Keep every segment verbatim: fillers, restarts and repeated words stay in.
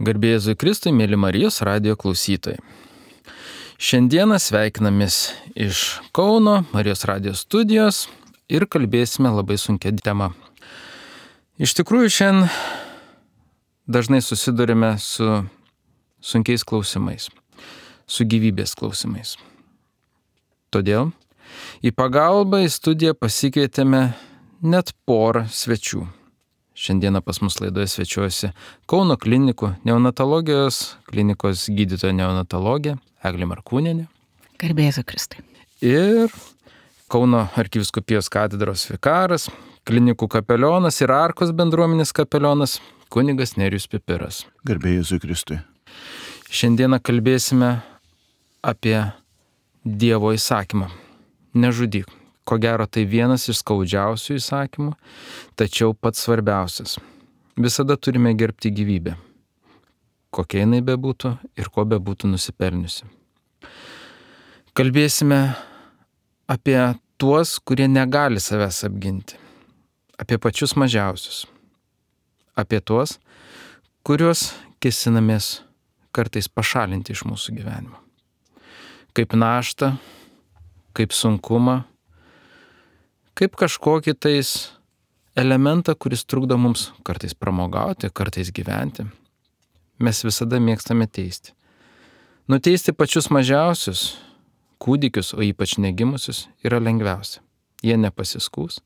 Garbė Jėzui Kristui, mėly Marijos radijo klausytojai. Šiandieną sveikinamės iš Kauno Marijos radijo studijos ir kalbėsime labai sunkia tema. Iš tikrųjų, šiandien dažnai susidurime su sunkiais klausimais, su gyvybės klausimais. Todėl į pagalbą į studiją pasikvietėme net porą svečių. Šiandieną pas mus laidoje svečiuojasi Kauno klinikų neonatologijos klinikos gydytoja neonatologė Eglė Markūnienė. Garbė Jėzui Kristui. Ir Kauno arkivyskupijos katedros vikaras, klinikų kapelionas ir Arkos bendruomenės kapelionas kunigas Nerijus Pipiras. Garbė Jėzui Kristui. Šiandieną kalbėsime apie Dievo įsakymą. Nežudyk. Ko gero, tai vienas iš skaudžiausių įsakymų, tačiau pats svarbiausias. Visada turime gerbti gyvybę, kokia jinai bebūtų ir ko bebūtų nusipelniusi. Kalbėsime apie tuos, kurie negali savęs apginti, apie pačius mažiausius, apie tuos, kuriuos kėsinamės kartais pašalinti iš mūsų gyvenimo. Kaip naštą, kaip sunkumą, kaip kažkokį tais elementą, kuris trukdo mums kartais pramogauti, kartais gyventi. Mes visada mėgstame teisti. Nuteisti pačius mažiausius, kūdikius, o ypač negimusius, yra lengviausia. Jie nepasiskūs.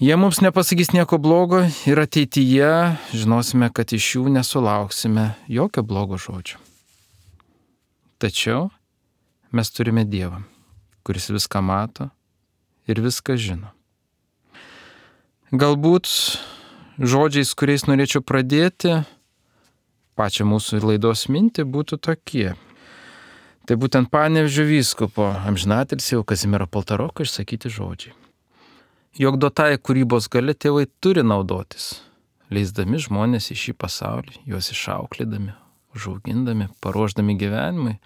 Jie mums nepasakys nieko blogo ir ateityje žinosime, kad iš jų nesulauksime jokio blogo žodžio. Tačiau mes turime Dievą, kuris viską mato ir viską žino. Galbūt žodžiais, kuriais norėčiau pradėti pačią mūsų laidos mintį, būtų tokie. Tai būtent Panevėžio vyskupo amžinatilsį Kazimiero Paltaroko išsakyti žodžiai. Jog duotąja kūrybos galia tėvai turi naudotis, leisdami žmonės į šį pasaulį, juos išauklėdami, užaugindami, paruošdami gyvenimui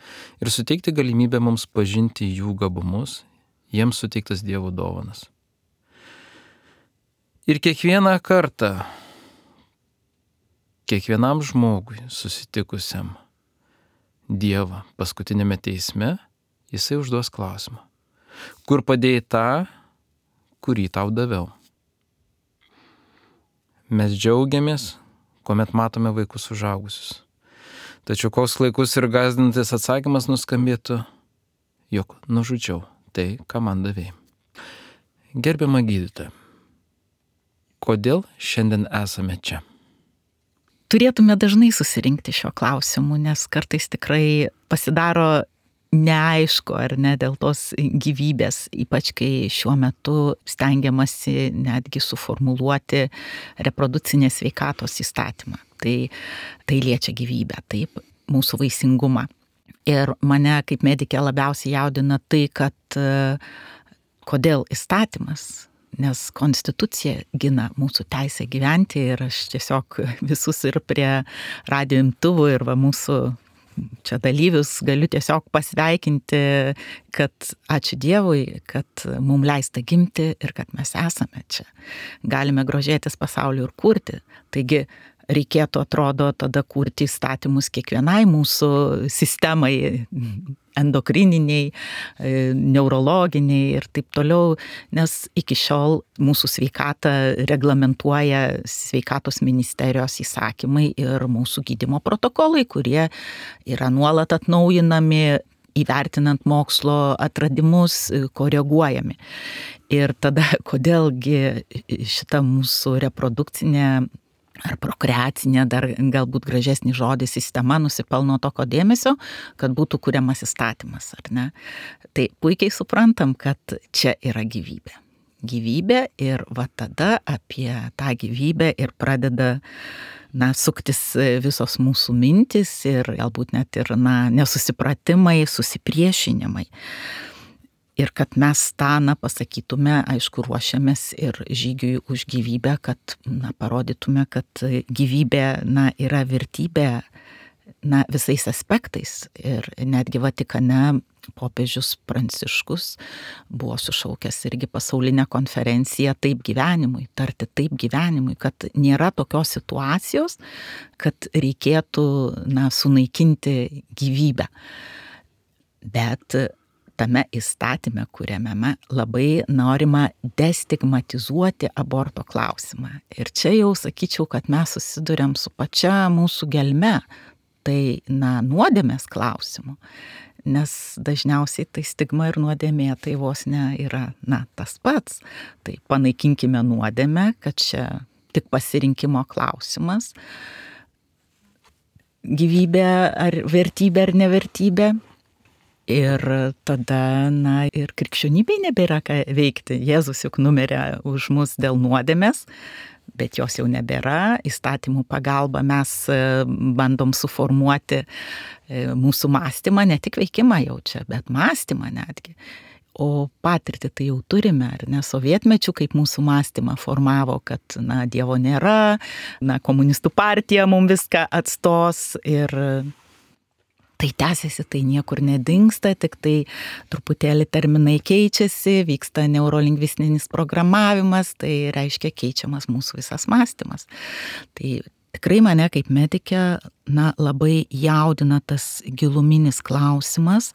ir suteikti galimybę mums pažinti jų gabumus, jiems suteiktas Dievo dovanas. Ir kiekvieną kartą, kiekvienam žmogui susitikusiam Dievą paskutinėme teisme, jisai užduos klausimą. Kur padėjai tą, kurį tau daviau? Mes džiaugiamės, kuomet matome vaikus užaugusius. Tačiau koks klaikus ir gąsdinantis atsakymas nuskambėtų, jog nužudžiau tai, ką man davėjai. Gerbiama gydytoja, kodėl šiandien esame čia? Turėtume dažnai susirinkti šio klausimu, nes kartais tikrai pasidaro neaišku ar ne dėl tos gyvybės, ypač kai šiuo metu stengiamasi netgi suformuluoti reprodukcinės sveikatos įstatymą. Tai, tai liečia gyvybę, taip, mūsų vaisingumą. Ir mane kaip medikė labiausiai jaudina tai, kad kodėl įstatymas, nes konstitucija gina mūsų teisę gyventi ir aš tiesiog visus ir prie radijo imtuvų ir va mūsų čia dalyvius galiu tiesiog pasveikinti, kad ačiū Dievui, kad mums leista gimti ir kad mes esame čia. Galime grožėtis pasauliu ir kurti. Taigi reikėtų, atrodo, tada kurti įstatymus kiekvienai mūsų sistemai, endokrininiai, neurologiniai ir taip toliau, nes iki šiol mūsų sveikatą reglamentuoja sveikatos ministerijos įsakymai ir mūsų gydymo protokolai, kurie yra nuolat atnaujinami, įvertinant mokslo atradimus, koreguojami. Ir tada, kodėlgi šita mūsų reprodukcinė ar prokreacinė, dar galbūt gražesnį žodį sistema nusipelno tokio dėmesio, kad būtų kuriamas įstatymas, ar ne? Tai puikiai suprantam, kad čia yra gyvybė. Gyvybė ir va tada apie tą gyvybę ir pradeda na, suktis visos mūsų mintis ir galbūt net ir na, nesusipratimai, susipriešinimai. Ir kad mes tą, na, pasakytume, aišku, ruošiamės ir žygiui už gyvybę, kad, na, parodytume, kad gyvybė, na, yra vertybė, na, visais aspektais. Ir netgi Vatikane popiežius Pranciškus buvo sušaukęs irgi pasaulinę konferenciją Taip gyvenimui, tarti taip gyvenimui, kad nėra tokios situacijos, kad reikėtų, na, sunaikinti gyvybę. Bet tame įstatyme, kuriame labai norima destigmatizuoti aborto klausimą. Ir čia jau sakyčiau, kad mes susiduriam su pačia mūsų gelme, tai, na, nuodėmės klausimu. Nes dažniausiai tai stigma ir nuodėmė tai vos ne yra, na, tas pats. Tai panaikinkime nuodėmę, kad čia tik pasirinkimo klausimas. Gyvybė ar vertybė ar nevertybė. Ir tada, na, ir krikščionybei nebėra ką veikti. Jėzus juk numirė už mus dėl nuodėmės, bet jos jau nebėra. Įstatymų pagalba mes bandom suformuoti mūsų mąstymą, ne tik veikimą jau čia, bet mąstymą netgi. O patirtį tai jau turime, ar ne, sovietmečių, kaip mūsų mąstymą formavo, kad, na, Dievo nėra, na, komunistų partija mums viską atstos ir tai tęsiasi, tai niekur nedingsta, tik tai truputėlį terminai keičiasi, vyksta neurolingvistinis programavimas, tai reiškia keičiamas mūsų visas mąstymas. Tai tikrai mane kaip medikę, na, labai jaudina tas giluminis klausimas,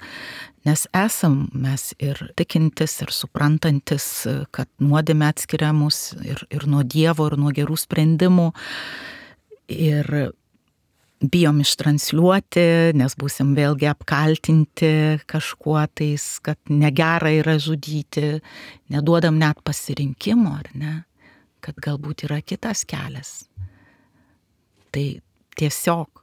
nes esam mes ir tikintis, ir suprantantis, kad nuodėmė atskiria mus ir, ir nuo Dievo, ir nuo gerų sprendimų. Ir bijom ištransliuoti, nes būsim vėlgi apkaltinti kažkuo tais, kad negera yra žudyti, neduodam net pasirinkimo, ar ne, kad galbūt yra kitas kelias. Tai tiesiog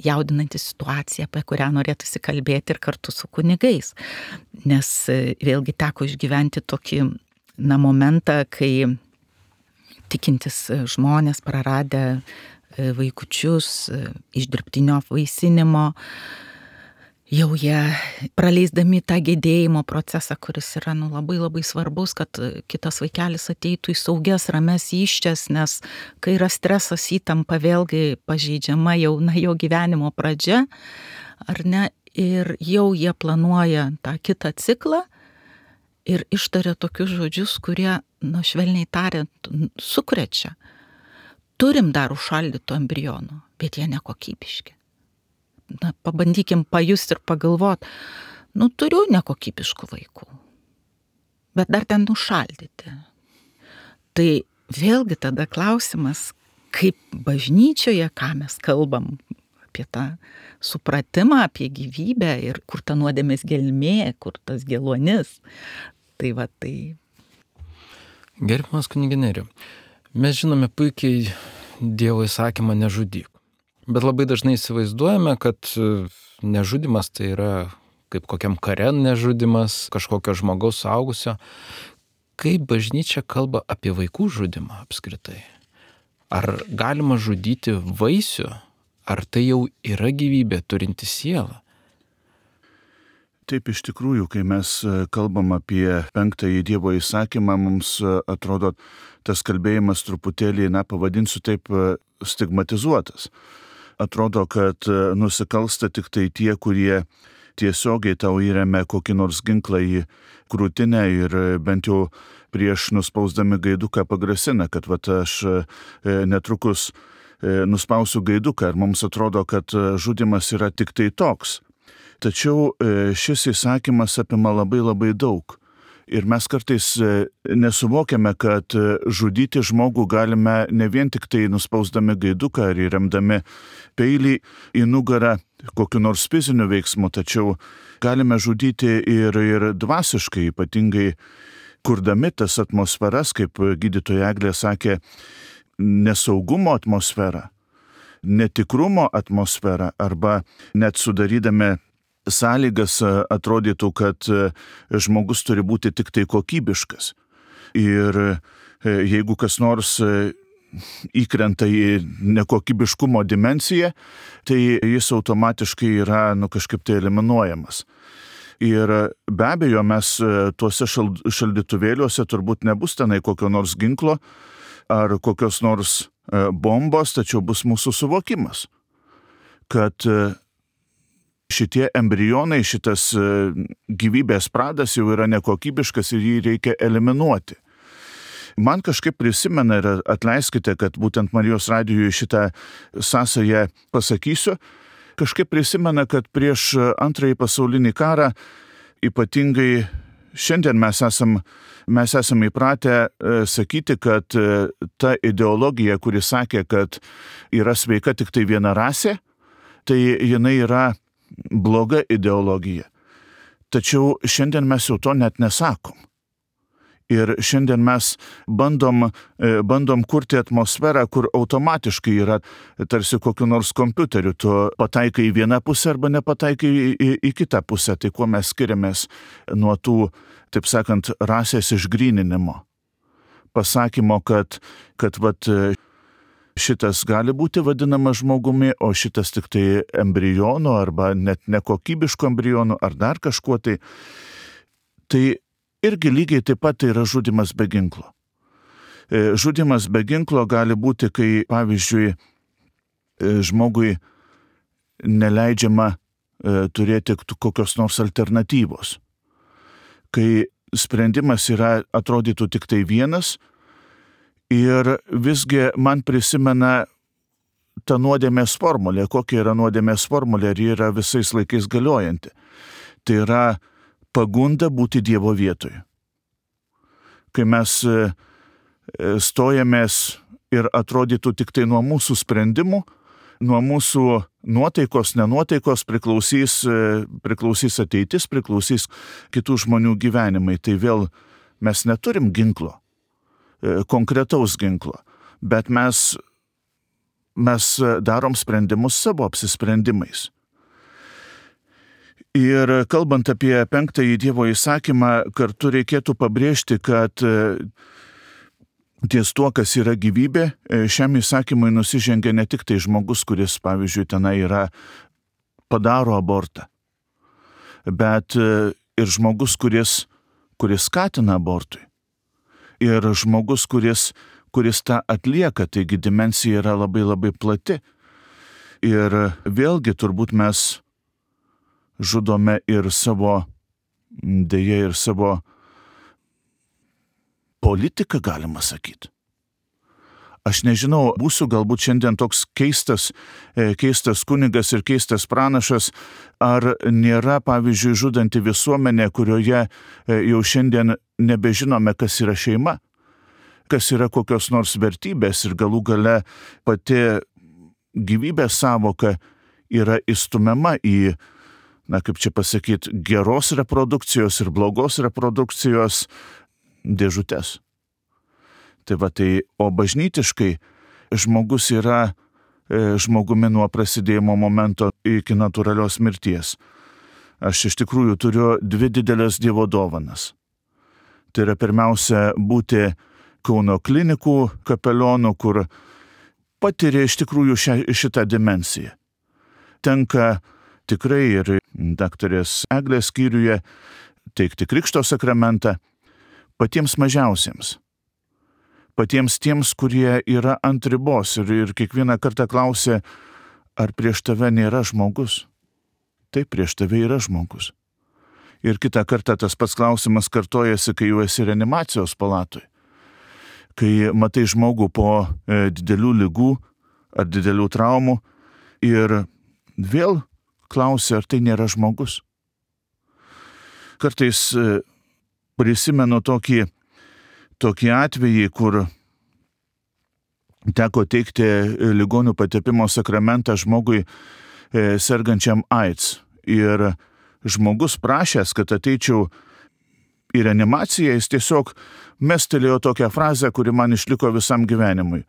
jaudinanti situacija, apie kurią norėtųsi kalbėti ir kartu su kunigais. Nes vėlgi teko išgyventi tokį, na, momentą, kai tikintis žmonės praradę vaikučius iš dirbtinio apvaisinimo, jau jie praleisdami tą gedėjimo procesą, kuris yra, nu, labai labai svarbus, kad kitas vaikelis ateitų į saugias, rames įsčias, nes kai yra stresas, įtampa, vėlgi pažeidžiama jau, na, jo gyvenimo pradžia, ar ne, ir jau jie planuoja tą kitą ciklą ir ištaria tokius žodžius, kurie, nu, švelniai tariant, sukrečia. Turim dar užšaldytų embrionų, bet jie nekokybiški. Na, pabandykim pajusti ir pagalvoti, nu, turiu nekokybiškų vaikų, bet dar ten užšaldyti. Tai vėlgi tada klausimas, kaip bažnyčioje, ką mes kalbam apie tą supratimą, apie gyvybę ir kur ta nuodėmės gelmė, kur tas geluonis. Tai va, tai. Gerbiamas kunige Nerijau, mes žinome puikiai Dievo įsakymą nežudyk. Bet labai dažnai įsivaizduojame, kad nežudymas tai yra kaip kokiam kare nežudymas, kažkokio žmogaus suaugusio. Kaip bažnyčia kalba apie vaikų žudymą apskritai? Ar galima žudyti vaisių? Ar tai jau yra gyvybė turinti sielą? Taip, iš tikrųjų, kai mes kalbam apie penktąjį Dievo įsakymą, mums atrodo tas kalbėjimas truputėlį, na, pavadinsiu taip, stigmatizuotas. Atrodo, kad nusikalsta tik tai tie, kurie tiesiogiai tau įremia kokį nors ginklą į krūtinę ir bent jau prieš nuspausdami gaiduką pagrasina, kad vat aš netrukus nuspausiu gaiduką ir mums atrodo, kad žudymas yra tik tai toks. Tačiau šis įsakymas apima labai labai daug. Ir mes kartais nesuvokiame, kad žudyti žmogų galime ne vien tik tai nuspausdami gaiduką ar įremdami peilį į nugarą kokiu nors fiziniu veiksmu, tačiau galime žudyti ir, ir dvasiškai, ypatingai kurdami tas atmosferas, kaip gydytoja Eglė sakė, nesaugumo atmosferą, netikrumo atmosferą arba net sudarydami sąlygas atrodytų, kad žmogus turi būti tik tai kokybiškas. Ir jeigu kas nors įkrenta į nekokybiškumo dimensiją, tai jis automatiškai yra, nu, kažkaip tai eliminuojamas. Ir be abejo, mes tuose šaldytuvėliuose turbūt nebus tenai kokio nors ginklo ar kokios nors bombos, tačiau bus mūsų suvokimas, kad šitie embrionai, šitas gyvybės pradas jau yra nekokybiškas ir jį reikia eliminuoti. Man kažkaip prisimena, ir atleiskite, kad būtent Marijos radijui šitą sąsają pasakysiu, kažkaip prisimena, kad prieš antrąjį pasaulinį karą, ypatingai šiandien mes esam, mes esam įpratę sakyti, kad ta ideologija, kuri sakė, kad yra sveika tik tai viena rasė, tai jinai yra bloga ideologija. Tačiau šiandien mes jau to net nesakom. Ir šiandien mes bandom, bandom kurti atmosferą, kur automatiškai yra tarsi kokiu nors kompiuteriu. Tu pataikai į vieną pusę arba nepataikai į, į, į kitą pusę. Tai kuo mes skiriamės nuo tų, taip sakant, rasės išgryninimo. Pasakymo, kad, kad vat, šitas gali būti vadinamas žmogumi, o šitas tik tai embrionu arba net nekokybišku embrionu ar dar kažkuo tai. Tai irgi lygiai taip pat tai yra žudymas be ginklo. Žudymas be ginklo gali būti, kai, pavyzdžiui, žmogui neleidžiama turėti kokios nors alternatyvos. Kai sprendimas yra, atrodytų tik tai vienas, ir visgi man prisimena ta nuodėmės formulė. Kokia yra nuodėmės formulė, ar ji yra visais laikais galiojanti. Tai yra pagunda būti Dievo vietoje. Kai mes stojamės ir atrodytų tik tai nuo mūsų sprendimų, nuo mūsų nuotaikos, nenuotaikos priklausys, priklausys ateitis, priklausys kitų žmonių gyvenimai. Tai vėl mes neturim ginklo, konkretaus ginklo, bet mes, mes darom sprendimus savo apsisprendimais. Ir kalbant apie penktąjį Dievo įsakymą, kartu reikėtų pabrėžti, kad ties tuo, kas yra gyvybė, šiam įsakymui nusižengia ne tik tai žmogus, kuris, pavyzdžiui, tenai yra, padaro abortą, bet ir žmogus, kuris, kuris skatina abortui. Ir žmogus, kuris, kuris tą atlieka, taigi dimensija yra labai labai plati. Ir vėlgi turbūt mes žudome ir savo, dėja ir savo politiką, galima sakyti. Aš nežinau, būsiu galbūt šiandien toks keistas, keistas kunigas ir keistas pranašas, ar nėra, pavyzdžiui, žudanti visuomenė, kurioje jau šiandien nebežinome, kas yra šeima, kas yra kokios nors vertybės ir galų gale pati gyvybės savoka yra įstumiama į, na kaip čia pasakyti, geros reprodukcijos ir blogos reprodukcijos dėžutes. Tai va tai, o bažnytiškai žmogus yra e, žmogumi nuo prasidėjimo momento iki natūralios mirties. Aš iš tikrųjų turiu dvi didelės Dievo dovanas. Tai yra pirmiausia būti Kauno klinikų kapelionu, kur patiria iš tikrųjų šią, šitą dimensiją. Tenka tikrai ir daktarės Eglės skyriuje teikti krikšto sakramentą patiems mažiausiems, patiems tiems, kurie yra ant ribos ir, ir kiekvieną kartą klausia, ar prieš tave nėra žmogus. Taip, prieš tave yra žmogus. Ir kitą kartą tas pats klausimas kartojasi, kai jau esi reanimacijos palatoj. Kai matai žmogų po e, didelių ligų ar didelių traumų ir vėl klausia, ar tai nėra žmogus. Kartais e, prisimenu tokį, tokį atvejį, kur teko teikti ligonių patepimo sakramentą žmogui e, sergančiam AIDS. Ir žmogus prašęs, kad ateičiau į reanimaciją, jis tiesiog mestelėjo tokią frazę, kuri man išliko visam gyvenimui.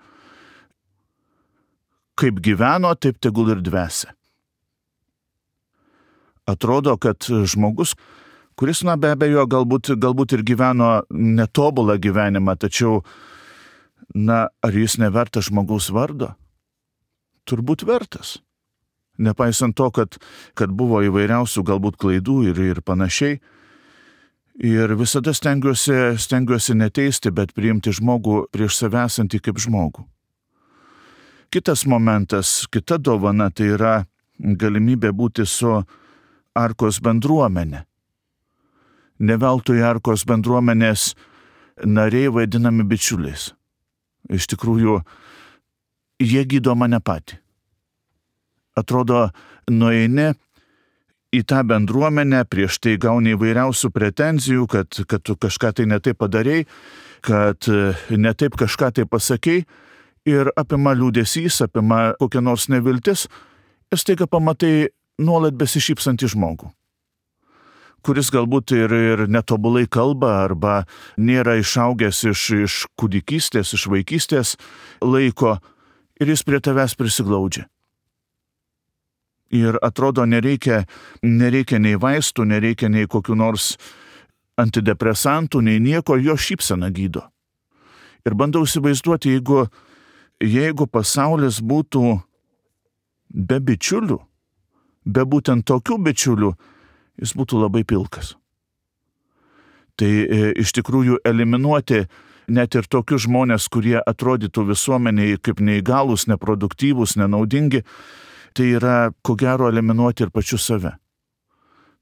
Kaip gyveno, taip tegul ir dvesia. Atrodo, kad žmogus, kuris, na be abejo, galbūt, galbūt ir gyveno netobulą gyvenimą, tačiau, na, ar jis nevertas žmogaus vardo? Turbūt vertas. Nepaisant to, kad, kad buvo įvairiausių galbūt klaidų ir, ir panašiai. Ir visada stengiuosi, stengiuosi neteisti, bet priimti žmogų prieš save esantį kaip žmogų. Kitas momentas, kita dovana, tai yra galimybė būti su Arkos bendruomenę. Ne veltui Arkos bendruomenės nariai vadinami bičiuliais. Iš tikrųjų, jie gydo mane patį. Atrodo, nueini į tą bendruomenę, prieš tai gauni įvairiausių pretenzijų, kad, kad tu kažką tai netaip padarei, kad netaip kažką tai pasakei, ir apima liūdesys, apima kokia nors neviltis, ir staiga pamatai nuolat besišypsantį žmogų, kuris galbūt ir, ir netobulai kalba, arba nėra išaugęs iš, iš kūdikystės, iš vaikystės laiko, ir jis prie tavęs prisiglaudžia. Ir atrodo, nereikia, nereikia nei vaistų, nereikia nei kokių nors antidepresantų, nei nieko, jo šypsena gydo. Ir bandau įsivaizduoti, jeigu, jeigu pasaulis būtų be bičiulių, be būtent tokių bičiulių, jis būtų labai pilkas. Tai e, iš tikrųjų eliminuoti net ir tokius žmonės, kurie atrodytų visuomeniai kaip neįgalūs, neproduktyvūs, nenaudingi, tai yra, ko gero, eliminuoti ir pačiu save.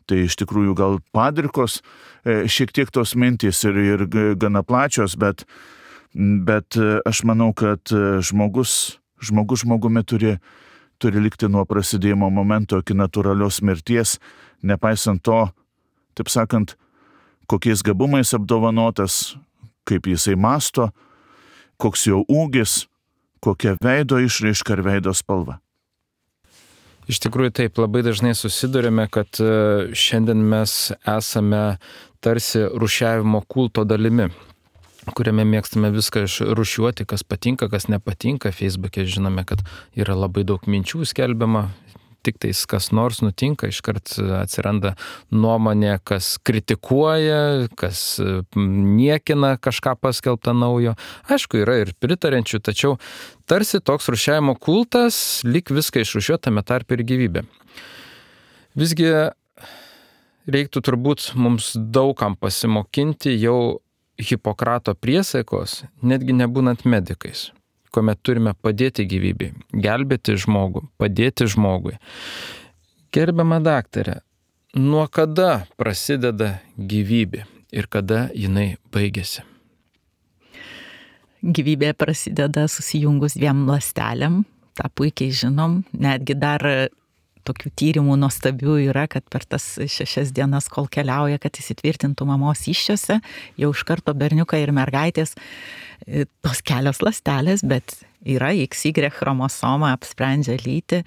Tai iš tikrųjų gal padrikos, e, šiek tiek tos mintys ir, ir gana plačios, bet, bet aš manau, kad žmogus, žmogus žmogumi turi turi likti nuo prasidėjimo momento iki natūralios mirties, nepaisant to, taip sakant, kokiais gabumais apdovanotas, kaip jisai masto, koks jo ūgis, kokia veido išraiška ir veido spalva. Iš tikrųjų taip, labai dažnai susidurime, kad šiandien mes esame tarsi rūšiavimo kulto dalimi, kuriame mėgstame viską išrūšiuoti, kas patinka, kas nepatinka. Facebook'e žinome, kad yra labai daug minčių skelbiama, tik tais kas nors nutinka, iškart atsiranda nuomonė, kas kritikuoja, kas niekina kažką paskelbtą naujo. Aišku, yra ir pritarenčių, tačiau tarsi toks rūšiavimo kultas, lyg viską išrūšiuotame tarp ir gyvybė. Visgi reiktų turbūt mums daugam pasimokinti jau Hipokrato priesaikos, netgi nebūnant medikais, kuomet turime padėti gyvybei, gelbėti žmogų, padėti žmogui. Gerbiama daktarė, nuo kada prasideda gyvybė ir kada jinai baigėsi? Gyvybė prasideda susijungus dviem ląstelėm, tą puikiai žinom, netgi dar tokių tyrimų nuostabių yra, kad per tas šešias dienas, kol keliauja, kad įsitvirtintų mamos įsčiose, jau iš karto berniukai ir mergaitės, tos kelios ląstelės, bet yra X Y chromosoma, apsprendžia lytį,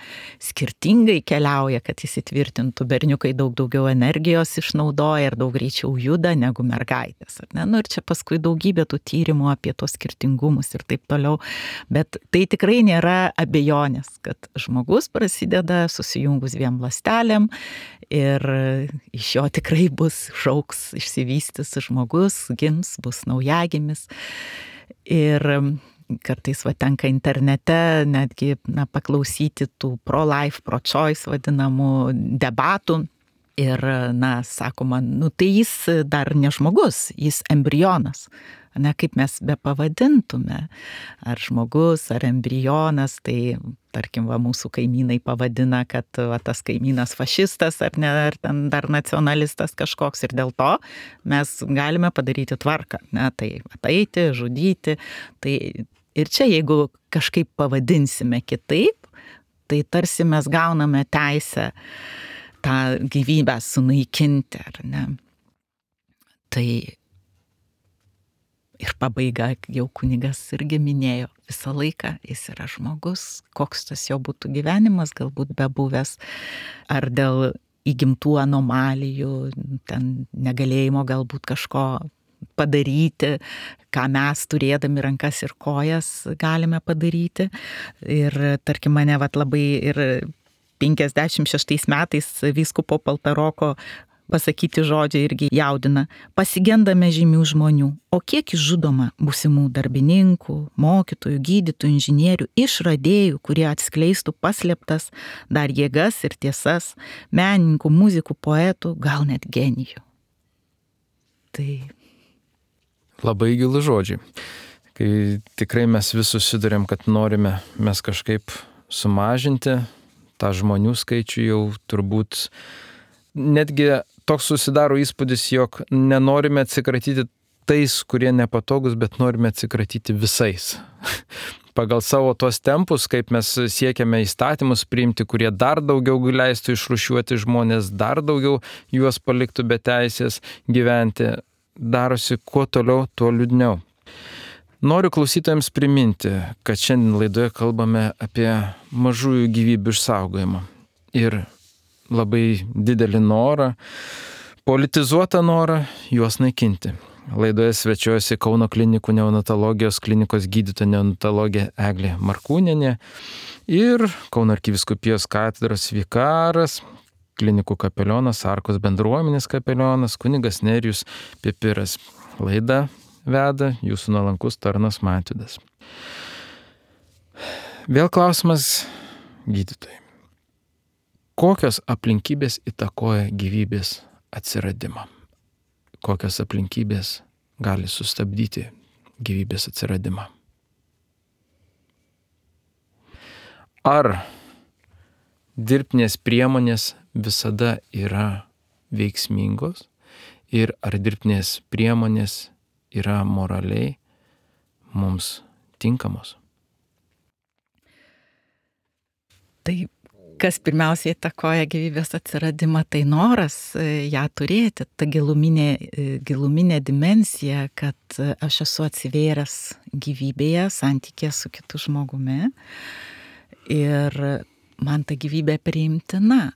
skirtingai keliauja, kad įsitvirtintų. Berniukai daug daugiau energijos išnaudoja ir daug greičiau juda negu mergaitės. Ne? Nu, ir čia paskui daugybė tų tyrimų apie tos skirtingumus ir taip toliau. Bet tai tikrai nėra abejonės, kad žmogus prasideda susijungus dviem ląstelėm ir iš jo tikrai bus šauks, išsivystys žmogus, gims, bus naujagimis. Ir kartais va tenka internete netgi na, paklausyti tų pro-life, pro-choice vadinamų debatų. Ir, na, sakoma, nu tai jis dar ne žmogus, jis embrionas. Ne, kaip mes be pavadintume, ar žmogus, ar embrionas, tai, tarkim, va, mūsų kaimynai pavadina, kad va, tas kaimynas fašistas, ar, ne, ar ten dar nacionalistas kažkoks, ir dėl to mes galime padaryti tvarką, ne, tai ateiti, žudyti, tai ir čia, jeigu kažkaip pavadinsime kitaip, tai tarsi mes gauname teisę tą gyvybę sunaikinti, ar ne. Tai ir pabaiga, jau kunigas irgi minėjo, visą laiką jis yra žmogus, koks tas jo būtų gyvenimas, galbūt bebuvęs, ar dėl įgimtų anomalijų, ten negalėjimo galbūt kažko padaryti, ką mes turėdami rankas ir kojas galime padaryti. Ir tarkim mane vat labai ir penkiasdešimt šeštais metais vyskupo Paltaroko pasakyti žodžiai irgi jaudina. Pasigendame žymių žmonių, o kiek išžudoma būsimų darbininkų, mokytojų, gydytojų, inžinierių, išradėjų, kurie atskleistų paslėptas dar jėgas ir tiesas, menininkų, muzikų, poetų, gal net genijų. Tai labai gilų žodžiai. Kai tikrai mes vis susidurėm, kad norime mes kažkaip sumažinti tą žmonių skaičių, jau turbūt netgi toks susidaro įspūdis, jog nenorime atsikratyti tais, kurie nepatogus, bet norime atsikratyti visais. Pagal savo tuos tempus, kaip mes siekiame įstatymus priimti, kurie dar daugiau leistų išrūšiuoti žmonės, dar daugiau juos paliktų be teisės gyventi, darosi kuo toliau, tuo liūdniau. Noriu klausytojams priminti, kad šiandien laidoje kalbame apie mažųjų gyvybių išsaugojimą ir labai didelį norą, politizuotą norą juos naikinti. Laidoje svečiuojasi Kauno klinikų neonatologijos klinikos gydytoja neonatologė Eglė Markūnienė ir Kauno arkivyskupijos katedros vikaras, klinikų kapelionas, Arkos bendruomenės kapelionas, kunigas Nerijus Pipiras. Laidą veda jūsų nuolankus tarnas Matydas. Vėl klausimas gydytojai. Kokios aplinkybės įtakoja gyvybės atsiradimą? Kokios aplinkybės gali sustabdyti gyvybės atsiradimą? Ar dirbtinės priemonės visada yra veiksmingos ir ar dirbtinės priemonės yra moraliai mums tinkamos? Tai kas pirmiausiai įtakoja gyvybės atsiradimą, tai noras ją turėti, ta giluminė, giluminė dimensija, kad aš esu atsivėręs gyvybėje, santykėje su kitu žmogumi ir man ta gyvybė priimtina.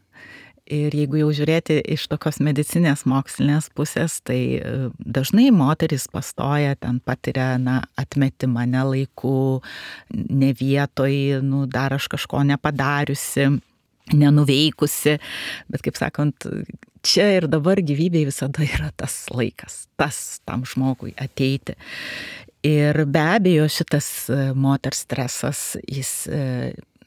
Ir jeigu jau žiūrėti iš tokios medicinės mokslinės pusės, tai dažnai moteris pastoja, ten patiria na, atmetimą ne laiku, ne vietoj, nu, dar aš kažko nepadariusi, nenuveikusi, bet kaip sakant, čia ir dabar gyvybėje visada yra tas laikas, tas tam žmogui ateiti. Ir be abejo šitas moters stresas, jis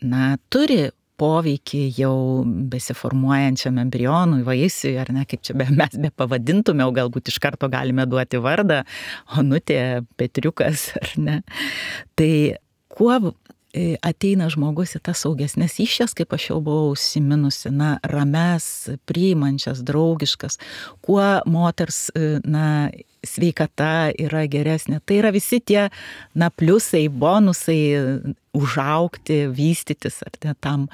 na, turi poveikį jau besiformuojančiam embrionui, vaisiui, ar ne, kaip čia be, mes be pavadintume, o galbūt iš karto galime duoti vardą, Onutė, Petriukas, ar ne. Tai kuo ateina žmogus į tas saugesnės iššias, kaip aš jau buvau užsiminusi, na, rames, priimančias, draugiškas, kuo moters, na, sveikata yra geresnė. Tai yra visi tie, na, pliusai, bonusai užaugti, vystytis, ar ne, tam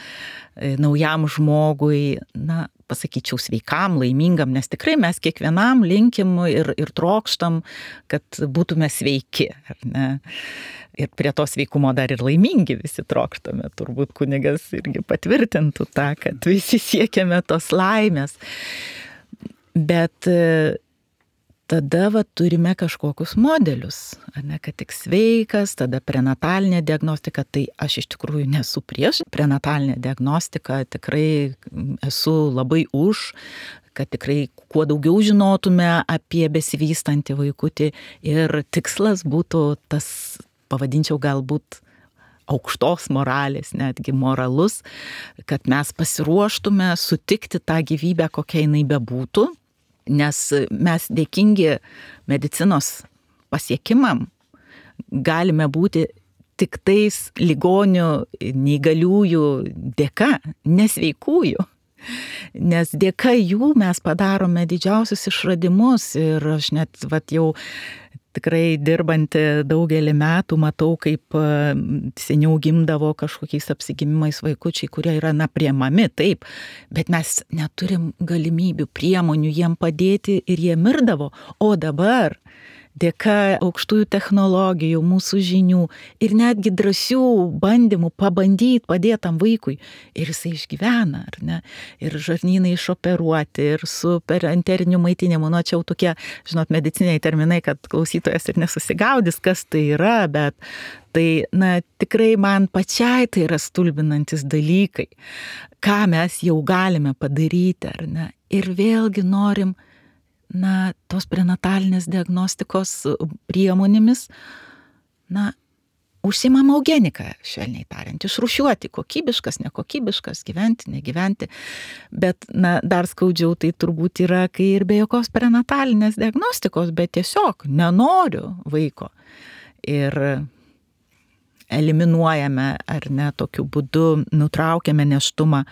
naujam žmogui, na, pasakyčiau, sveikam, laimingam, nes tikrai mes kiekvienam linkim ir, ir trokštam, kad būtume sveiki, ar ne. Ir prie to sveikumo dar ir laimingi visi trokštame, turbūt kunigas irgi patvirtintų tą, kad visi siekiame tos laimės. Bet tada va, turime kažkokius modelius, ar ne, kad tik sveikas, tada prenatalinė diagnostika, tai aš iš tikrųjų nesu prieš prenatalinę diagnostiką, tikrai esu labai už, kad tikrai kuo daugiau žinotume apie besivystantį vaikutį ir tikslas būtų tas, pavadinčiau galbūt aukštos moralės, netgi moralus, kad mes pasiruoštume sutikti tą gyvybę, kokia jinai bebūtų, nes mes dėkingi medicinos pasiekimam galime būti tik tais ligonių, neįgaliųjų dėka, nesveikųjų. Nes dėka jų mes padarome didžiausius išradimus ir aš net vat, jau tikrai dirbanti daugelį metų matau, kaip seniau gimdavo kažkokiais apsigimimais vaikučiai, kurie yra na priemami, taip, bet mes neturim galimybių, priemonių jiem padėti ir jie mirdavo, o dabar dėka aukštųjų technologijų, mūsų žinių ir netgi drąsių bandymų pabandyti padėti tam vaikui ir jisai išgyvena, ar ne? Ir žarnynai išoperuoti, ir su perenteriniu maitinimu, nu čia jau tokie, žinot, mediciniai terminai, kad klausytojas ir nesusigaudys, kas tai yra, bet tai, na, tikrai man pačiai tai yra stulbinantis dalykai, ką mes jau galime padaryti, ar ne? Ir vėlgi norim na, tos prenatalinės diagnostikos priemonėmis, na, užsiimam eugeniką, švelniai tariant, išrūšiuoti kokybiškas, nekokybiškas, gyventi, negyventi, bet, na, dar skaudžiau tai turbūt yra, kai ir be jokios prenatalinės diagnostikos, bet tiesiog nenoriu vaiko ir eliminuojame, ar ne, tokiu būdu nutraukiame nėštumą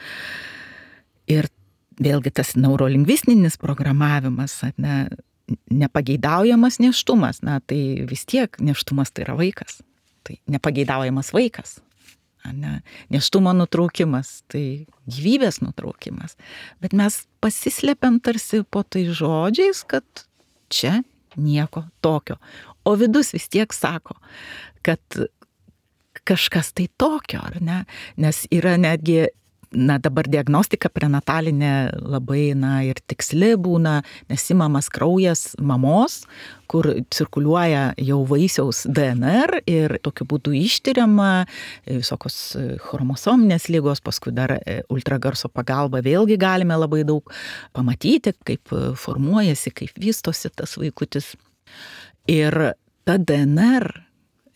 ir vėlgi tas neurolingvistinis programavimas, ne, nepageidaujamas nėštumas, na tai vis tiek nėštumas tai yra vaikas, tai nepageidaujamas vaikas. Ne, nėštumo nutraukimas, tai gyvybės nutraukimas. Bet mes pasislepiam tarsi po tai žodžiais, kad čia nieko tokio. O vidus vis tiek sako, kad kažkas tai tokio, ar ne? Nes yra netgi, na dabar diagnostika prenatalinė labai, na ir tiksli būna, nes imamas kraujas mamos, kur cirkuliuoja jau vaisiaus D N R ir tokiu būdu ištiriama visokios chromosominės ligos, paskui dar ultragarso pagalba vėlgi galime labai daug pamatyti, kaip formuojasi, kaip vystosi tas vaikutis. Ir ta D N R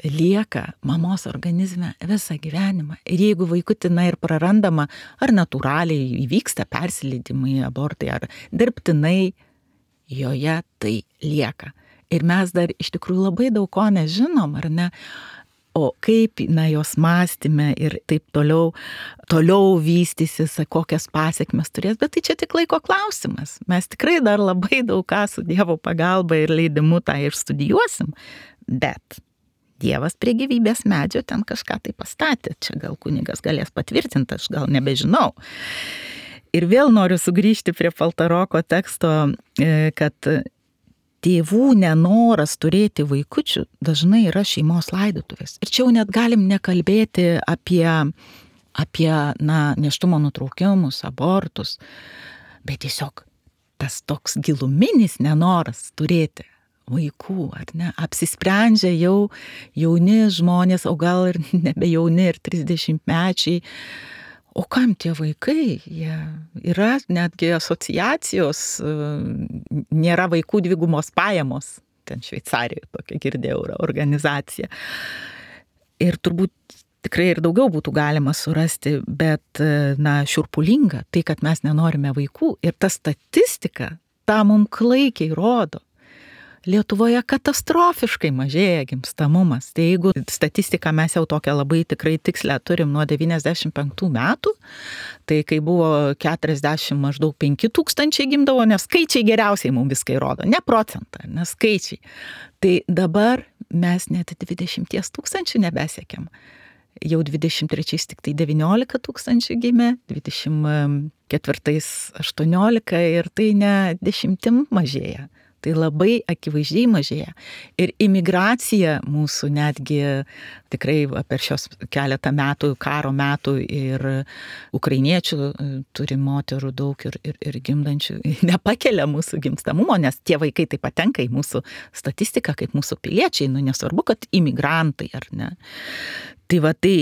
lieka mamos organizme visą gyvenimą. Ir jeigu vaikutį, na ir prarandama, ar natūraliai įvyksta persileidimai, abortai, ar dirbtinai, joje tai lieka. Ir mes dar iš tikrųjų labai daug ko nežinom, ar ne? O kaip, na, jos mąstyme ir taip toliau, toliau vystysis, kokias pasiekmes turės, bet tai čia tik laiko klausimas. Mes tikrai dar labai daug ką su Dievo pagalba ir leidimu tą ir studijuosim, bet Dievas prie gyvybės medžio ten kažką tai pastatė. Čia gal kunigas galės patvirtinti, aš gal nebežinau. Ir vėl noriu sugrįžti prie Paltaroko teksto, kad tėvų nenoras turėti vaikučių dažnai yra šeimos laidotuvės. Ir čia jau net galim nekalbėti apie, apie na, nėštumo nutraukimus, abortus, bet tiesiog tas toks giluminis nenoras turėti vaikų, ar ne, apsisprendžia jau jauni žmonės, o gal ir nebe jauni, ir trisdešimtmečiai. O kam tie vaikai? Jie yra netgi asociacijos, nėra vaikų dvigumos pajamos, ten Šveicarijoje tokia girdėjau organizacija. Ir turbūt tikrai ir daugiau būtų galima surasti, bet, na, šiurpulinga tai, kad mes nenorime vaikų. Ir ta statistika tą mums klaikiai rodo. Lietuvoje katastrofiškai mažėja gimstamumas. Tai jeigu statistiką mes jau tokią labai tikrai tikslę turim nuo devyniasdešimt penktų metų, tai kai buvo keturiasdešimt maždaug penki tūkstančiai gimdavo, nes skaičiai geriausiai mums viską įrodo, ne procentą, ne skaičiai. Tai dabar mes net dvidešimt tūkstančių nebesiekiam. Jau dvidešimt trečiais tik tai devyniolika tūkstančių gimė, dvidešimt ketvirtais aštuoniolika ir tai ne dešimtim mažėja. Tai labai akivaizdžiai mažėja. Ir imigracija mūsų netgi tikrai per šios keletą metų, karo metų ir ukrainiečių turi moterų daug ir, ir, ir gimdančių, nepakelia mūsų gimstamumo, nes tie vaikai taip patenka į mūsų statistiką kaip mūsų piliečiai, nu nesvarbu, kad imigrantai ar ne. Tai va tai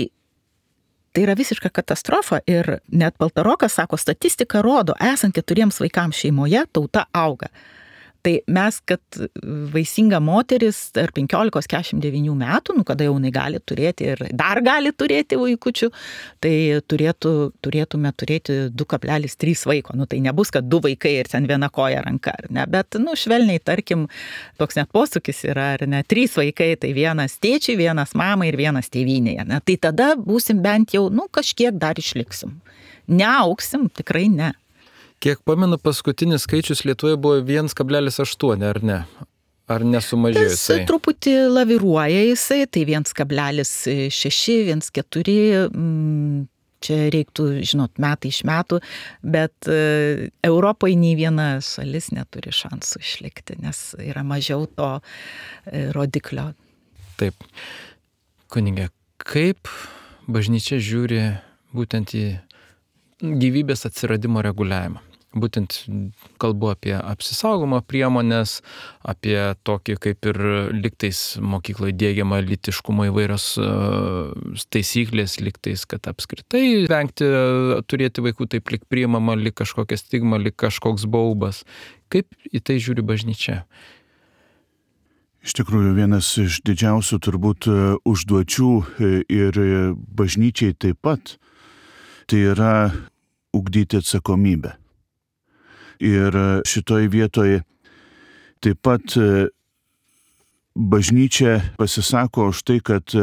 Tai yra visiška katastrofa ir net Paltarokas sako, statistika rodo, esant keturiems vaikams šeimoje, tauta auga. Tai mes, kad vaisinga moteris tarp penkiolikos keturiasdešimt devynių metų, nu kada jau jinai gali turėti ir dar gali turėti vaikučių, tai turėtų, turėtume turėti du kablelis trys vaiko. Nu tai nebus, kad du vaikai ir ten viena koja ranka, ar ne? Bet, nu, švelniai, tarkim, toks net posūkis yra, ar ne? Trys vaikai, tai vienas tėčiai, vienas mamai ir vienas tėvynėje. Ne? Tai tada būsim bent jau, nu, kažkiek dar išliksim. Neaugsim, tikrai ne. Kiek pamenu, paskutinis skaičius Lietuvoje buvo vienas kablelis aštuoni, ar ne? Ar nesumažėjo jisai? Tas truputį laviruoja jisai, tai vienas kablelis šeši, vienas keturi, čia reiktų, žinot, metai iš metų, bet Europoje nei viena šalis neturi šansų išlikti, nes yra mažiau to rodiklio. Taip. Kunige, kaip bažnyčia žiūri būtent į gyvybės atsiradimo reguliavimą? Būtent kalbu apie apsisaugomo priemonės, apie tokį kaip ir liktais mokykloje diegiama lytiškumo įvairios taisyklės, liktais, kad apskritai vengti turėti vaikų taip lik priimama, lik kažkokia stigma, lik kažkoks baubas. Kaip į tai žiūri bažnyčia? Iš tikrųjų, vienas iš didžiausių turbūt užduočių ir bažnyčiai taip pat, tai yra ugdyti atsakomybę. Ir šitoj vietoje taip pat bažnyčia pasisako už tai, kad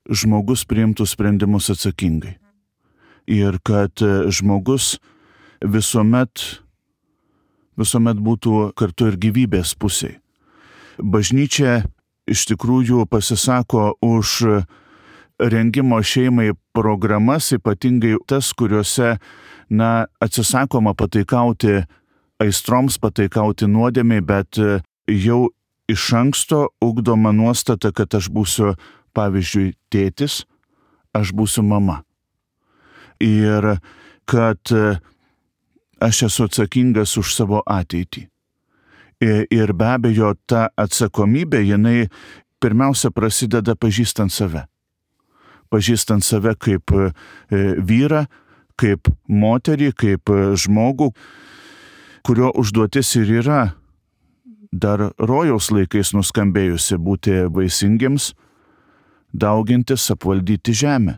žmogus priimtų sprendimus atsakingai. Ir kad žmogus visuomet, visuomet būtų kartu ir gyvybės pusiai. Bažnyčia iš tikrųjų pasisako už rengimo šeimai programas, ypatingai tas, kuriuose, na, atsisakoma pataikauti aistroms, pataikauti nuodėmiai, bet jau iš anksto ugdoma nuostata, kad aš būsiu, pavyzdžiui, tėtis, aš būsiu mama. Ir kad aš esu atsakingas už savo ateitį. Ir be abejo, ta atsakomybė, jinai pirmiausia prasideda pažįstant save. Pažįstant save kaip vyrą, kaip moterį, kaip žmogų, kurio užduotis ir yra dar rojaus laikais nuskambėjusi būti vaisingiems, daugintis, apvaldyti žemę.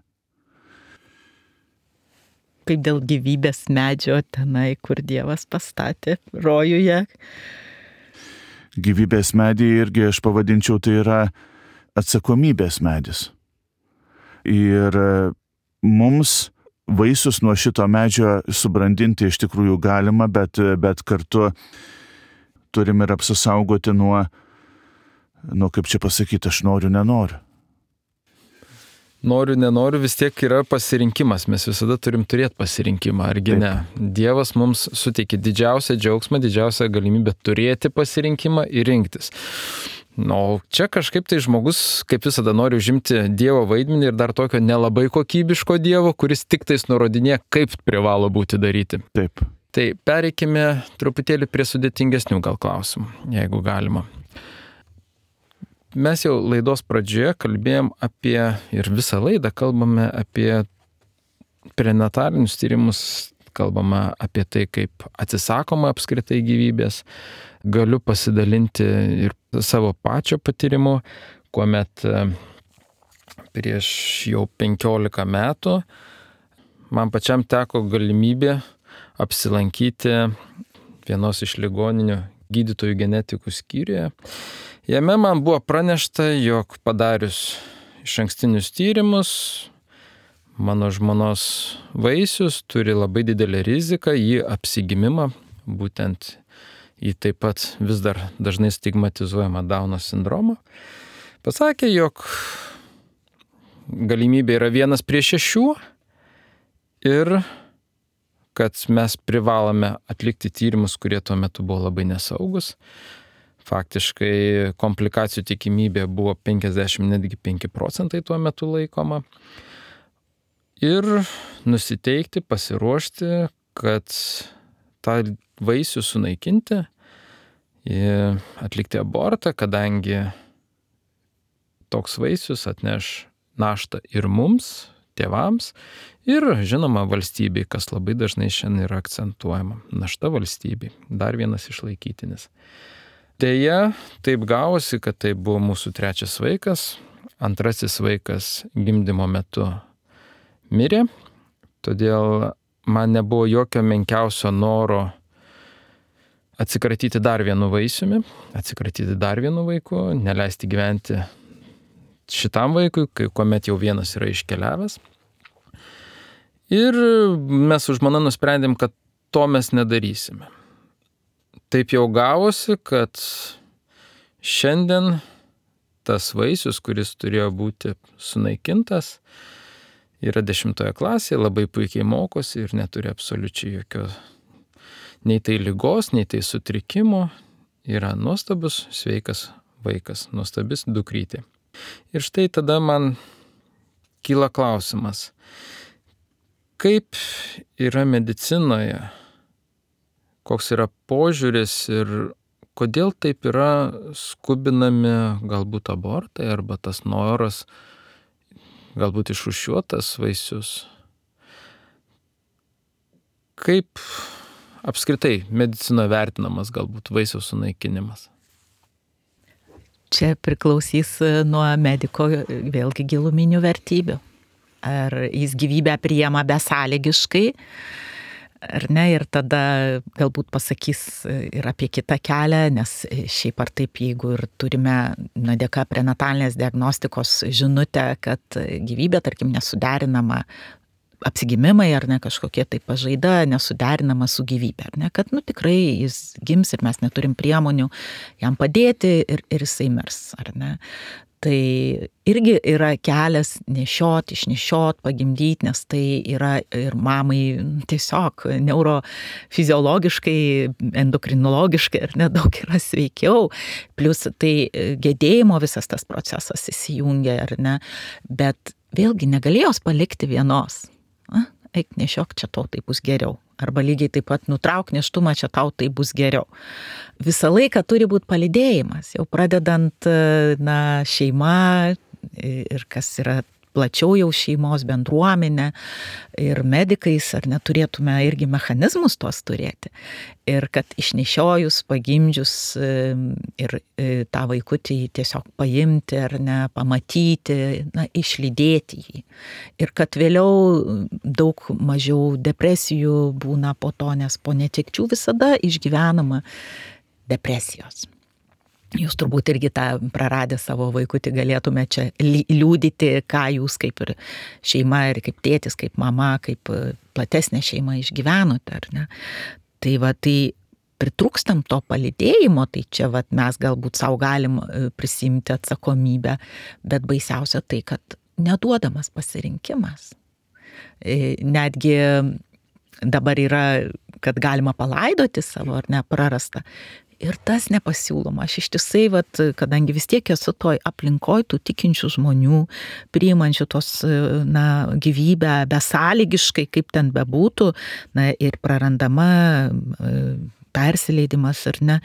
Kaip dėl gyvybės medžio tenai, kur Dievas pastatė rojuje. Gyvybės medį irgi aš pavadinčiau, tai yra atsakomybės medis. Ir mums vaisius nuo šito medžio subrandinti iš tikrųjų galima, bet, bet kartu turim ir apsisaugoti nuo, nuo, kaip čia pasakyti, aš noriu, nenoriu. Noriu, nenoriu, vis tiek yra pasirinkimas. Mes visada turim turėti pasirinkimą, argi ne? Dievas mums suteikia didžiausią džiaugsmą, didžiausią galimybę turėti pasirinkimą ir rinktis. Na, o čia kažkaip tai žmogus, kaip visada, nori užimti Dievo vaidmenį ir dar tokio nelabai kokybiško Dievo, kuris tik tais nurodinė, kaip privalo būti daryti. Taip. Tai pereikime truputėlį prie sudėtingesnių gal klausimų, jeigu galima. Mes jau laidos pradžioje kalbėjom apie, ir visą laidą kalbame apie prenatalinius tyrimus, kalbame apie tai, kaip atsisakoma apskritai gyvybės. Galiu pasidalinti ir savo pačio patyrimu, kuomet prieš jau penkiolika metų man pačiam teko galimybė apsilankyti vienos iš ligoninių gydytojų genetikų skyriuje. Jame man buvo pranešta, jog padarius išankstinius tyrimus, mano žmonos vaisius turi labai didelę riziką į apsigimimą, būtent į taip pat vis dar dažnai stigmatizuojamą Dauno sindromą. Pasakė, jog galimybė yra vienas prie šešių ir kad mes privalome atlikti tyrimus, kurie tuo metu buvo labai nesaugus. Faktiškai komplikacijų tikimybė buvo penkiasdešimt, netgi penki procentai tuo metu laikoma. Ir nusiteikti, pasiruošti, kad tą vaisių sunaikinti, atlikti abortą, kadangi toks vaisius atneš naštą ir mums, tėvams, ir žinoma valstybei, kas labai dažnai šiandien yra akcentuojama. Našta valstybei. Dar vienas išlaikytinis. Deja, taip gavosi, kad tai buvo mūsų trečias vaikas. Antrasis vaikas gimdymo metu mirė. Todėl man nebuvo jokio menkiausio noro atsikratyti dar vienu vaisiumi, atsikratyti dar vienu vaiku, neleisti gyventi šitam vaikui, kai kuomet jau vienas yra iškeliavęs. Ir mes su žmona nusprendėm, kad to mes nedarysime. Taip jau gavosi, kad šiandien tas vaisius, kuris turėjo būti sunaikintas, yra dešimtoje klasėje, labai puikiai mokosi ir neturi absoliučiai jokio nei tai ligos, nei tai sutrikimo. Yra nuostabus, sveikas vaikas, nuostabis dukrytė. Ir štai tada man kyla klausimas, kaip yra medicinoje, koks yra požiūris ir kodėl taip yra skubinami galbūt abortai arba tas noras galbūt išrūšiuotas vaisius. Kaip apskritai medicinoje vertinamas galbūt vaisiaus sunaikinimas? Čia priklausys nuo mediko vėlgi giluminių vertybių. Ar jis gyvybę priima besąlygiškai, ar ne, ir tada galbūt pasakys ir apie kitą kelią, nes šiaip ar taip, jeigu ir turime na, dėka prenatalinės diagnostikos žinutę, kad gyvybė, tarkim, nesuderinama apsigimimai ar ne kažkokie tai pažaida nesuderinama su gyvybė, ar ne, kad nu tikrai jis gims ir mes neturim priemonių jam padėti ir, ir jisai mirs, ar ne. Tai irgi yra kelias nešiot, išnešiot, pagimdyti, nes tai yra ir mamai tiesiog neurofiziologiškai, endokrinologiškai ir nedaug yra sveikiau. Plius tai gedėjimo visas tas procesas įsijungia, ar ne. Bet vėlgi negalėjo jos palikti vienos. A, eik nešiok, čia tau tai bus geriau. Arba lygiai taip pat nutrauk nėštumą, čia tau tai bus geriau. Visą laiką turi būti palydėjimas, jau pradedant na, šeima ir kas yra plačiau jau šeimos bendruomenė ir medikais, ar neturėtume irgi mechanizmus tuos turėti. Ir kad išnešiojus, pagimdžius ir tą vaikutį tiesiog paimti ar ne, pamatyti, na, išlydėti jį. Ir kad vėliau daug mažiau depresijų būna po to, nes po netekčių visada išgyvenama depresijos. Jūs turbūt irgi tą praradę savo vaikutį galėtume čia liūdyti, ką jūs kaip ir šeima ir kaip tėtis, kaip mama, kaip platesnė šeima išgyvenote, ar ne? Tai va, tai pritrūkstam to palydėjimo, tai čia va, mes galbūt savo galim prisimti atsakomybę, bet baisiausia tai, kad neduodamas pasirinkimas. Netgi dabar yra, kad galima palaidoti savo ar ne prarastą. Ir tas nepasiūloma. Aš ištisai, vat, kadangi vis tiek esu toj aplinkoj tų tikinčių žmonių, priimančių tos na, gyvybę besąlygiškai, kaip ten bebūtų, na, ir prarandama persileidimas ar ne.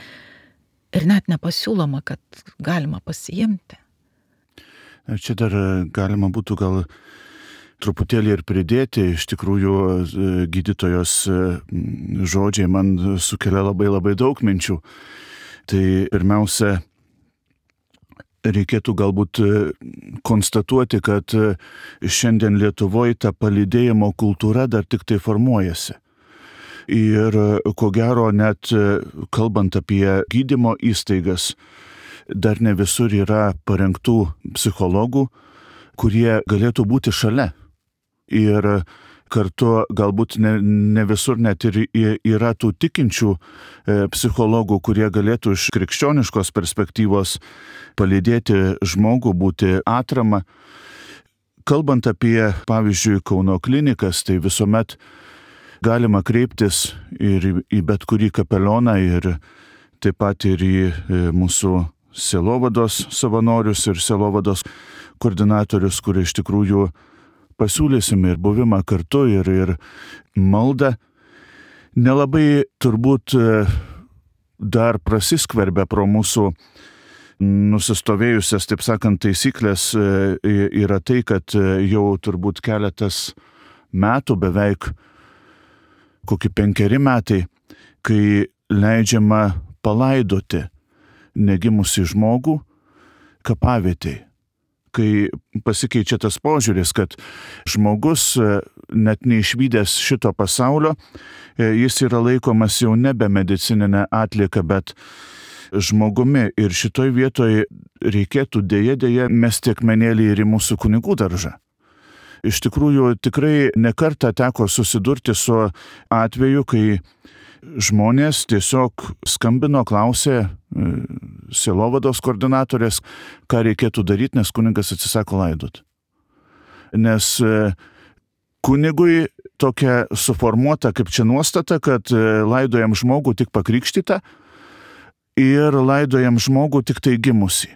Ir net nepasiūloma, kad galima pasiimti. Čia dar galima būtų gal truputėlį ir pridėti, iš tikrųjų gydytojos žodžiai man sukelia labai labai daug minčių. Tai pirmiausia, reikėtų galbūt konstatuoti, kad šiandien Lietuvoje ta palydėjimo kultūra dar tik tai formuojasi. Ir ko gero net kalbant apie gydymo įstaigas, dar ne visur yra parengtų psichologų, kurie galėtų būti šalia. Ir kartu galbūt ne, ne visur net ir yra tų tikinčių psichologų, kurie galėtų iš krikščioniškos perspektyvos palydėti žmogų, būti atrama. Kalbant apie, pavyzdžiui, Kauno klinikas, tai visuomet galima kreiptis ir į bet kurį kapelioną ir taip pat ir į mūsų sielovados savanorius ir sielovados koordinatorius, kurie iš tikrųjų pasiūlysime ir buvimą kartu, ir, ir maldą. Nelabai turbūt dar prasiskverbia pro mūsų nusistovėjusias, taip sakant, taisyklės yra tai, kad jau turbūt keletas metų, beveik kokie penkeri metai, kai leidžiama palaidoti negimusį žmogų kapavietėj. Kai pasikeičia tas požiūris, kad žmogus net neišvydęs šito pasaulio, jis yra laikomas jau nebe medicininė atlieka, bet žmogumi. Ir šitoj vietoj reikėtų dėja dėja mesti akmenėlį ir į mūsų kunigų daržą. Iš tikrųjų, tikrai nekartą teko susidurti su atveju, kai žmonės tiesiog skambino, klausė sielovados koordinatorės, ką reikėtų daryti, nes kunigas atsisako laidot. Nes kunigui tokia suformuota kaip čia nuostata, kad laidojam žmogų tik pakrikštytą ir laidojam žmogų tik tai gimusį.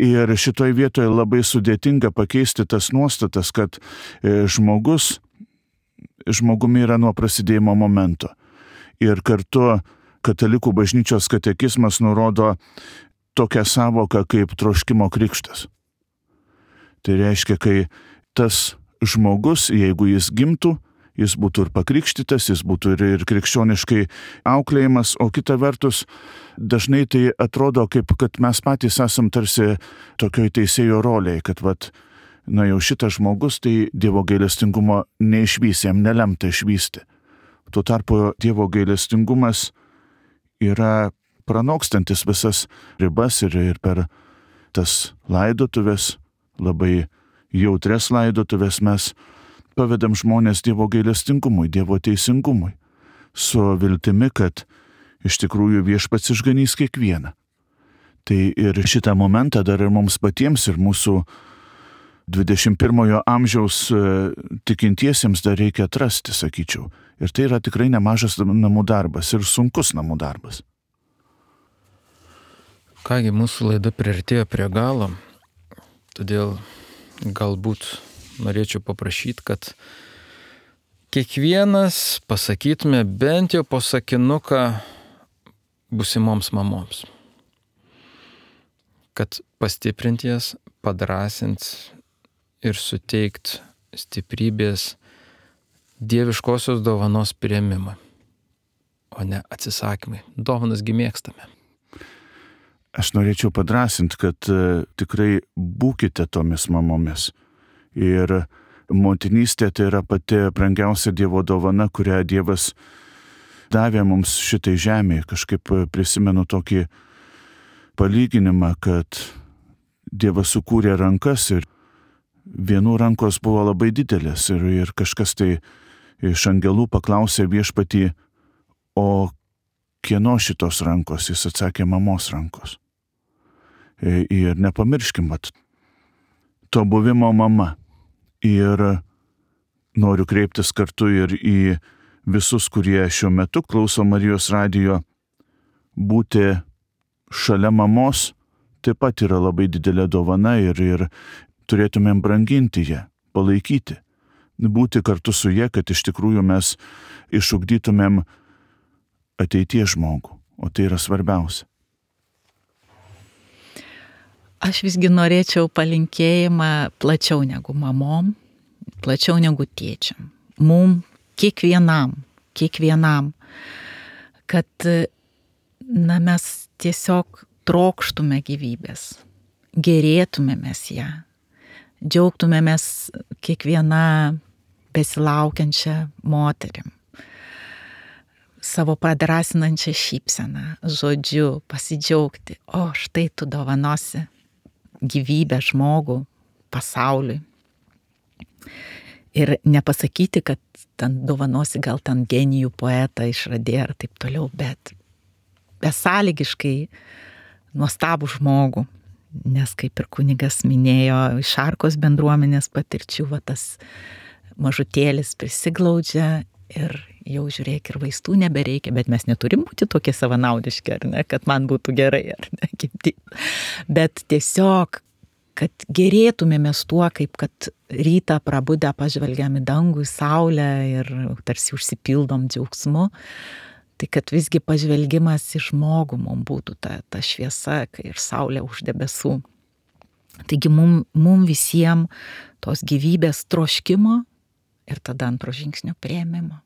Ir šitoj vietoje labai sudėtinga pakeisti tas nuostatas, kad žmogus žmogumi yra nuo prasidėjimo momento. Ir kartu katalikų bažnyčios katekizmas nurodo tokią savoką kaip troškimo krikštas. Tai reiškia, kai tas žmogus, jeigu jis gimtų, jis būtų ir pakrikštytas, jis būtų ir, ir krikščioniškai auklėjimas, o kita vertus, dažnai tai atrodo kaip, kad mes patys esam tarsi tokioj teisėjo rolėje, kad vat, na jau šitas žmogus, tai Dievo gailestingumo neišvys, jam nelemta išvysti. Tuo tarpu Dievo gailestingumas yra pranokstantis visas ribas ir, ir per tas laidotuvės, labai jautrias laidotuvės mes pavedam žmonės Dievo gailestingumui, Dievo teisingumui, su viltimi, kad iš tikrųjų viešpats išganys kiekvieną. Tai ir šitą momentą dar ir mums patiems, ir mūsų dvidešimt pirmojo amžiaus tikintiesiems dar reikia atrasti, sakyčiau. Ir tai yra tikrai nemažas namų darbas ir sunkus namų darbas. Kągi, mūsų laida priartėjo prie galo, todėl galbūt norėčiau paprašyti, kad kiekvienas pasakytume bent jau po sakinuką būsimoms mamoms. Kad pastiprinti jas, padrąsint ir suteikt stiprybės dieviškosios dovanos priėmimą, o ne atsisakymai. Dovanas gi mėgstame. Aš norėčiau padrąsinti, kad uh, tikrai būkite tomis mamomis. Ir motinystė tai yra pati brangiausia Dievo dovana, kurią Dievas davė mums šitai žemėje. Kažkaip prisimenu tokį palyginimą, kad Dievas sukūrė rankas ir vienų rankos buvo labai didelės ir, ir kažkas tai iš angelų paklausė viešpatį, o kieno šitos rankos? Jis atsakė, mamos rankos. Ir nepamirškim, vat, to buvimo mama. Ir noriu kreiptis kartu ir į visus, kurie šiuo metu klauso Marijos radijo, būti šalia mamos taip pat yra labai didelė dovana ir, ir turėtumėm branginti ją, palaikyti, būti kartu su ja, kad iš tikrųjų mes išugdytumėm ateities žmogų, o tai yra svarbiausia. Aš visgi norėčiau palinkėjimą plačiau negu mamom, plačiau negu tėčiam. Mum kiekvienam, kiekvienam, kad na, mes tiesiog trokštume gyvybės, gerėtumėmės ją, džiaugtumėmės kiekviena besilaukiančia moterim, savo padrasinančią šypseną, žodžiu, pasidžiaugti, o štai tu dovanosi gyvybę žmogų pasauliui. Ir nepasakyti, kad ten dovanosi gal ten genijų poetą išradė ar taip toliau, bet besąlygiškai nuostabų žmogų. Nes kaip ir kunigas minėjo, iš Arkos bendruomenės patirčių, va tas mažutėlis prisiglaudžia ir jau žiūrėk, ir vaistų nebereikia, bet mes neturim būti tokie savanaudiški, ar ne, kad man būtų gerai, ar ne, kaip bet tiesiog, kad gerėtumėmės tuo, kaip kad rytą prabudę pažvelgiam į dangų, į saulę ir tarsi užsipildom džiaugsmu, tai kad visgi pažvelgimas į žmogų mums būtų ta, ta šviesa, kai ir saulė už debesų. Taigi mum, mum visiems tos gyvybės troškimo ir tada antro žingsnio priėmimo.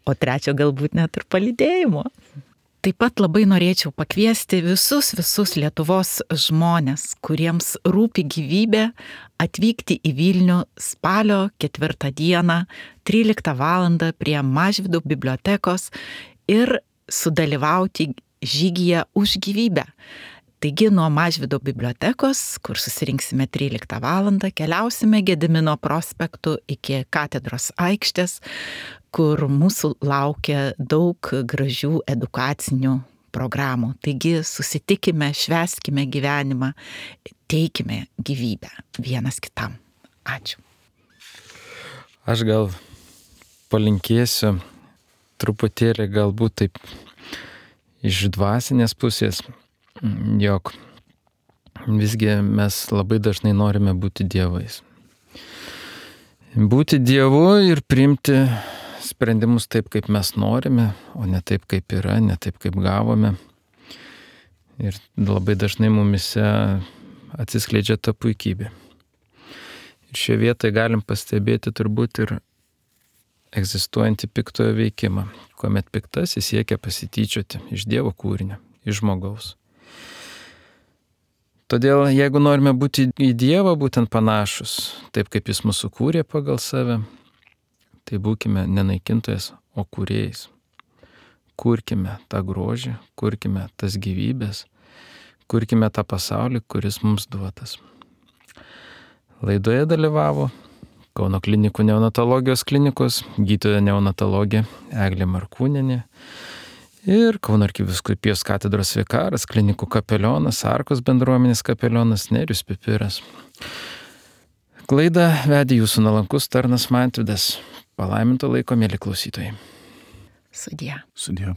O trečio galbūt net ir palydėjimo. Taip pat labai norėčiau pakviesti visus, visus Lietuvos žmonės, kuriems rūpi gyvybė, atvykti į Vilnių spalio ketvirtą dieną, tryliktą valandą prie Mažvydo bibliotekos ir sudalyvauti žygyje už gyvybę. Taigi nuo Mažvydo bibliotekos, kur susirinksime tryliktą valandą, keliausime Gedimino prospektu iki katedros aikštės, kur mūsų laukia daug gražių edukacinių programų. Taigi susitikime, švęskime gyvenimą, teikime gyvybę vienas kitam. Ačiū. Aš gal palinkėsiu truputėlį galbūt taip iš dvasinės pusės, jog visgi mes labai dažnai norime būti dievais. Būti dievu ir priimti sprendimus taip, kaip mes norime, o ne taip, kaip yra, ne taip, kaip gavome. Ir labai dažnai mumise atsiskleidžia ta puikybė. Ir šioje vietoje galim pastebėti turbūt ir egzistuojantį piktojo veikimą, kuomet piktasis siekia pasityčioti iš Dievo kūrinio, iš žmogaus. Todėl, jeigu norime būti į Dievą būtent panašus, taip kaip Jis mūsų kūrė pagal save, tai būkime ne naikintojas, o kūrėjais. Kurkime tą grožį, kurkime tas gyvybės, kurkime tą pasaulį, kuris mums duotas. Laidoje dalyvavo Kauno klinikų neonatologijos klinikos gydytoja neonatologė Eglė Markūnienė ir Kauno arkivyskupijos katedros vikaras, klinikų kapelionas, Arkos bendruomenės kapelionas Nerijus Pipiras. Laidą vedė jūsų nuolankus tarnas Mantvydas. Palaiminto laiko, mėly klausytojai. Sudie. Sudie.